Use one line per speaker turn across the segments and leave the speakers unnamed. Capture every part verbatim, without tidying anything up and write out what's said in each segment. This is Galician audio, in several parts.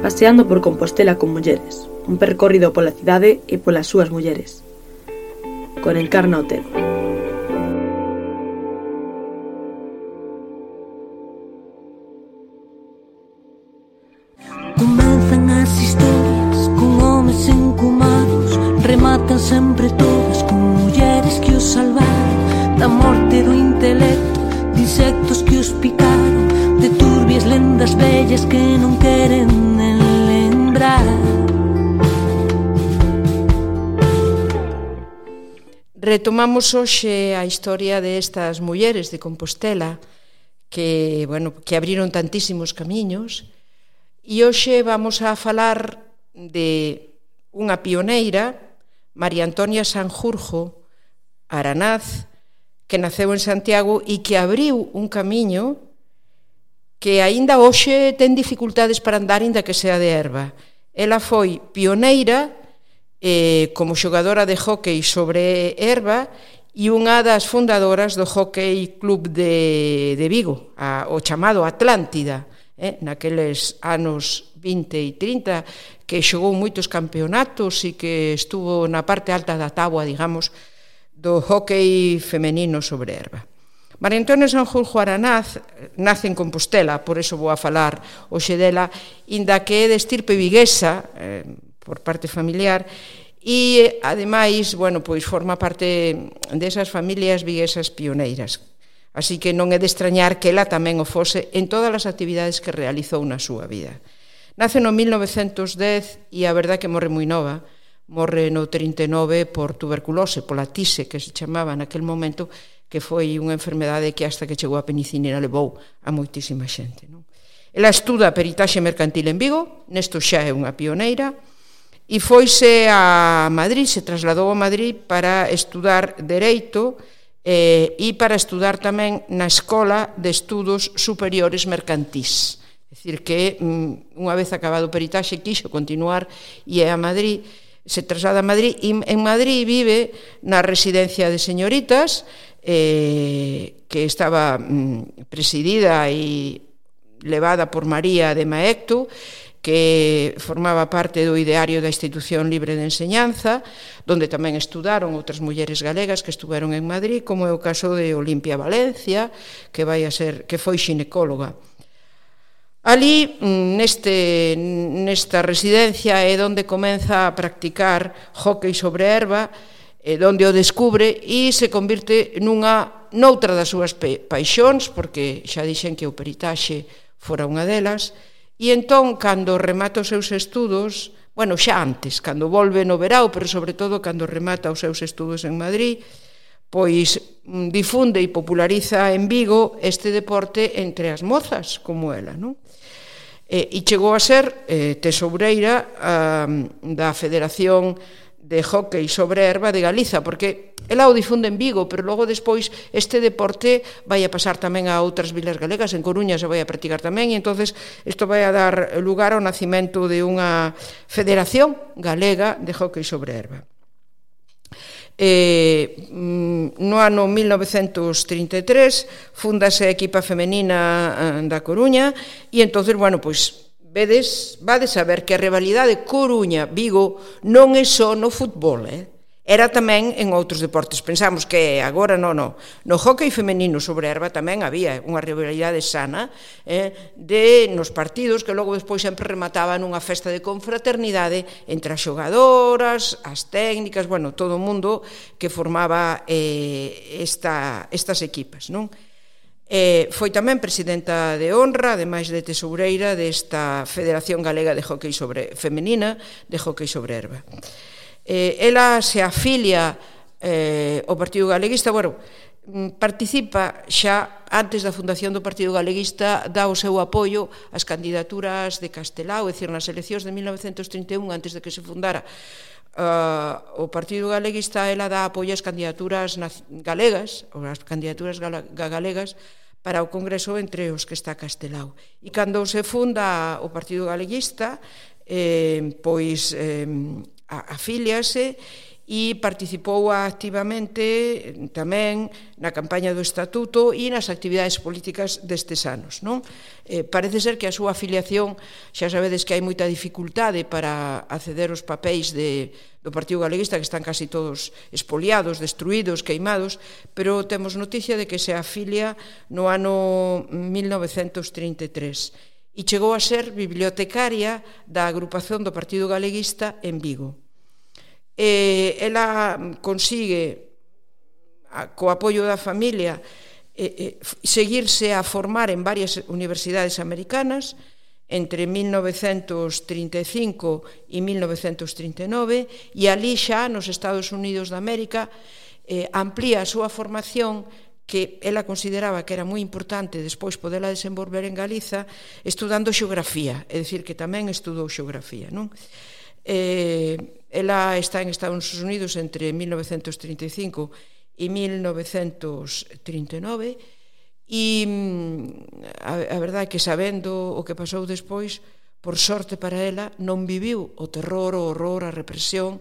Paseando por Compostela con mulleres, un percorrido pola cidade e polas súas mulleres. Con Encarna Otero.
Comezan as historias con homes encumados, rematan sempre todas con mulleres que os salvaron da morte do intelecto, de insectos que os picaron, de turbias lendas vellas que non queren nen lembrar.
Retomamos hoxe a historia destas mulleres de Compostela que, bueno, que abriron tantísimos camiños, e hoxe vamos a falar de unha pioneira, María Antonia Sanjurjo Aranaz, que naceu en Santiago e que abriu un camiño que aínda hoxe ten dificultades para andar, aínda que sea de herba. Ela foi pioneira eh, como xogadora de hóquei sobre herba e unha das fundadoras do Hóquei Club de, de Vigo, a, o chamado Atlántida, eh, naqueles anos vinte e trinta, que xogou moitos campeonatos e que estuvo na parte alta da táboa, digamos, do hóquei femenino sobre herba. María Antonia Sanjurjo Aranaz nace en Compostela, por eso vou a falar hoxe dela, inda que é de estirpe viguesa, eh, por parte familiar, e, ademais, bueno, pois forma parte desas familias viguesas pioneiras. Así que non é de extrañar que ela tamén o fose en todas as actividades que realizou na súa vida. Nace no mil novecentos dez e a verdade que morre moi nova. Morre no trinta e nove por tuberculose, pola tise, que se chamaba naquel momento, que foi unha enfermedade que hasta que chegou a penicilina levou a moitísima xente. Non? Ela estuda peritaxe mercantil en Vigo, nesto xa é unha pioneira, e foise a Madrid, se trasladou a Madrid para estudar Dereito eh, e para estudar tamén na Escola de Estudos Superiores Mercantís. É dicir, que unha vez acabado o peritaxe quixo continuar e é a Madrid, se traslada a Madrid, e en Madrid vive na residencia de señoritas, eh, que estaba mm, presidida e levada por María de Maectu, que formaba parte do ideario da Institución Libre de Enseñanza, donde tamén estudaron outras mulleres galegas que estuveron en Madrid, como é o caso de Olimpia Valencia, que vai a ser, que foi xinecóloga. Ali, neste, nesta residencia, é onde comeza a practicar hóquei sobre herba, é onde o descubre e se convirte nunha noutra das súas paixóns, porque xa dixen que o peritaxe fora unha delas, e entón, cando remata os seus estudos, bueno, xa antes, cando volve no verao, pero sobre todo cando remata os seus estudos en Madrid, pois difunde e populariza en Vigo este deporte entre as mozas, como ela, non? E, e chegou a ser eh, tesoureira ah, da Federación de Hóquei sobre Herba de Galiza, porque ela o difunde en Vigo, pero logo despois este deporte vai a pasar tamén a outras vilas galegas, en Coruña se vai a practicar tamén, e entonces isto vai a dar lugar ao nacimento de unha Federación Galega de Hóquei sobre Herba. Eh, no ano mil novecentos trinta e tres fundase a equipa femenina da Coruña e entonces, bueno, pois vedes, vades saber que a rivalidade Coruña-Vigo non é só no fútbol, eh? Era tamén en outros deportes. Pensamos que agora non, non. No hóquei femenino sobre herba tamén había unha rivalidade sana eh, de nos partidos que logo despois sempre remataban nunha festa de confraternidade entre as xogadoras, as técnicas, bueno, todo o mundo que formaba eh, esta, estas equipas, non? Eh, foi tamén presidenta de honra, ademais de tesoureira desta Federación Galega de Hóquei sobre Femenina de Hóquei sobre Herba. Eh, ela se afilia eh, ao Partido Galeguista, bueno, participa xa antes da fundación do Partido Galeguista, dá o seu apoio ás candidaturas de Castelao, é dicir, nas eleccións de mil novecentos trinta e un, antes de que se fundara uh, o Partido Galeguista, ela dá apoio ás candidaturas galegas, ou ás candidaturas galegas para o Congreso, entre os que está Castelao. E cando se funda o Partido Galeguista, eh, pois eh, afíliase e participou activamente tamén na campaña do Estatuto e nas actividades políticas destes anos, non? Eh, parece ser que a súa afiliación, xa sabedes que hai moita dificultade para acceder aos papéis de, do Partido Galeguista, que están casi todos expoliados, destruídos, queimados, pero temos noticia de que se afilia no ano mil novecentos trinta e tres e chegou a ser bibliotecaria da agrupación do Partido Galeguista en Vigo. Eh, ela consigue, co apoio da familia, eh, eh, seguirse a formar en varias universidades americanas entre mil novecentos trinta e cinco e mil novecentos trinta e nove, e ali xa nos Estados Unidos de América eh, amplía a súa formación, que ela consideraba que era moi importante despois podela desenvolver en Galiza, estudando xeografía, é dicir, que tamén estudou xeografía, non? Eh, ela está en Estados Unidos entre mil novecentos trinta e cinco e mil novecentos trinta e nove e a, a verdade é que sabendo o que pasou despois, por sorte para ela, non viviu o terror, o horror, a represión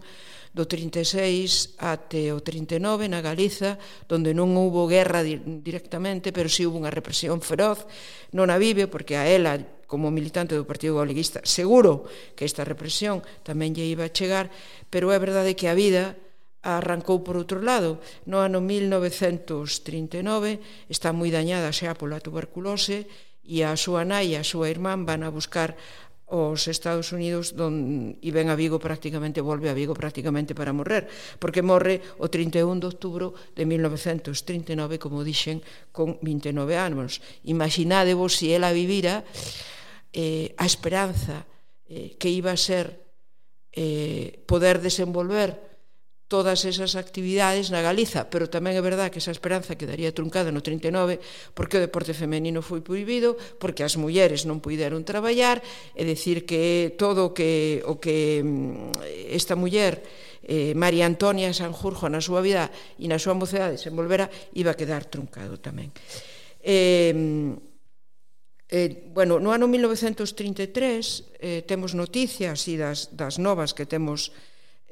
do trinta e seis até o trinta e nove na Galiza, donde non houbo guerra directamente, pero si houbo unha represión feroz. Non a vive porque a ela, como militante do Partido Galeguista, seguro que esta represión tamén lle iba a chegar, pero é verdade que a vida arrancou por outro lado. No ano mil novecentos trinta e nove está moi dañada xa pola tuberculose e a súa nai e a súa irmán van a buscar os Estados Unidos don, e ven a Vigo prácticamente, volve a Vigo prácticamente para morrer, porque morre o trinta e un de outubro de mil novecentos trinta e nove, como dixen, con vinte e nove anos. Imaginádevos se ela vivira eh, a esperanza eh, que iba a ser eh, poder desenvolver todas esas actividades na Galiza, pero tamén é verdade que esa esperanza quedaría truncada no trinta e nove porque o deporte femenino foi prohibido, porque as mulleres non puideron traballar, é dicir que todo o que, o que esta muller, eh, María Antonia Sanjurjo, na súa vida e na súa mocedade desenvolvera, iba a quedar truncado tamén. Eh, eh, bueno, no ano mil novecentos trinta e tres eh, temos noticias e das, das novas que temos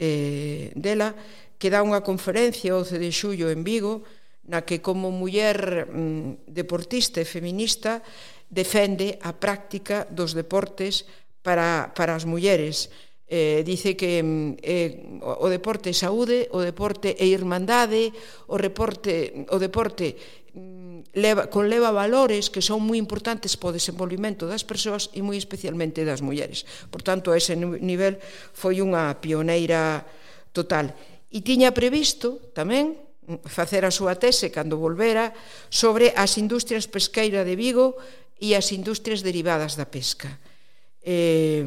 Eh, dela, que dá unha conferencia o once de xullo en Vigo, na que como muller mm, deportista e feminista defende a práctica dos deportes para, para as mulleres. Eh, dice que eh, o deporte é saúde, o deporte é irmandade, o deporte, o deporte mm, leva, conleva valores que son moi importantes para o desenvolvimento das persoas e moi especialmente das mulleres. Por tanto, a ese nivel foi unha pioneira total. E tiña previsto tamén facer a súa tese cando volvera sobre as industrias pesqueiras de Vigo e as industrias derivadas da pesca. Eh,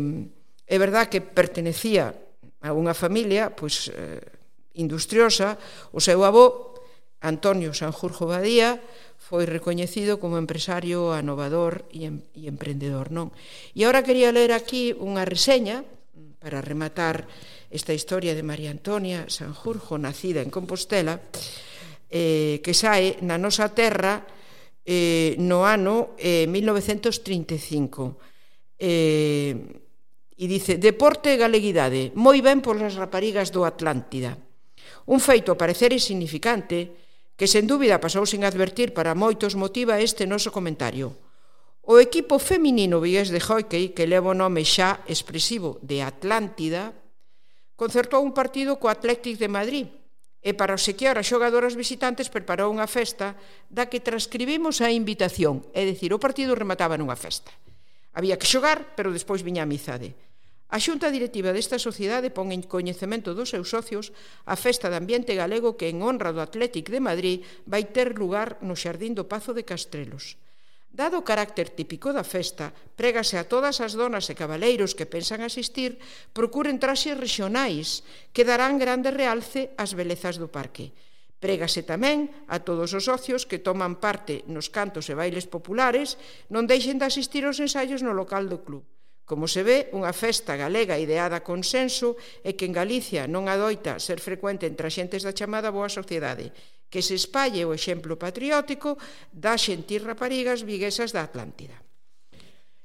é verdad que pertenecía a unha familia pois, eh, industriosa. O seu avó, Antonio Sanjurjo Badía, foi recoñecido como empresario anovador e, em, e emprendedor, non? E agora quería ler aquí unha reseña para rematar esta historia de María Antonia Sanjurjo, nacida en Compostela, eh, que sae na nosa terra eh, no ano eh, mil novecentos trinta e cinco. Eh, e dice: deporte e galeguidade, moi ben polas raparigas do Atlántida. Un feito a parecer insignificante que sen dúbida pasou sin advertir para moitos motiva este noso comentario. O equipo feminino vigués de hóquei, que leva o nome xa expresivo de Atlántida, concertou un partido co Athletic de Madrid e para obsequiar as xogadoras visitantes preparou unha festa da que transcribimos a invitación, é dicir, o partido remataba nunha festa. Había que xogar, pero despois viña a amizade. A xunta directiva desta sociedade pon en coñecemento dos seus socios a festa de ambiente galego que en honra do Athletic de Madrid vai ter lugar no Xardín do Pazo de Castrelos. Dado o carácter típico da festa, prégase a todas as donas e cabaleiros que pensan asistir procuren traxes rexionais que darán grande realce ás belezas do parque. Prégase tamén a todos os socios que toman parte nos cantos e bailes populares non deixen de asistir aos ensaios no local do club. Como se ve, unha festa galega ideada a consenso e que en Galicia non adoita ser frecuente entre as xentes da chamada boa sociedade, que se espalle o exemplo patriótico das xentis raparigas viguesas da Atlántida.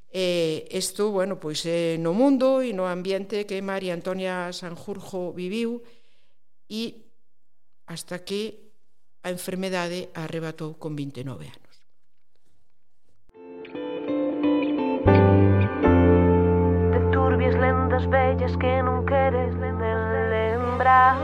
E isto, bueno, pois é no mundo e no ambiente que María Antonia Sanjurjo viviu e hasta que a enfermedade a arrebatou con vinte e nove anos.
De turbias lendas vellas que non queres lembrar.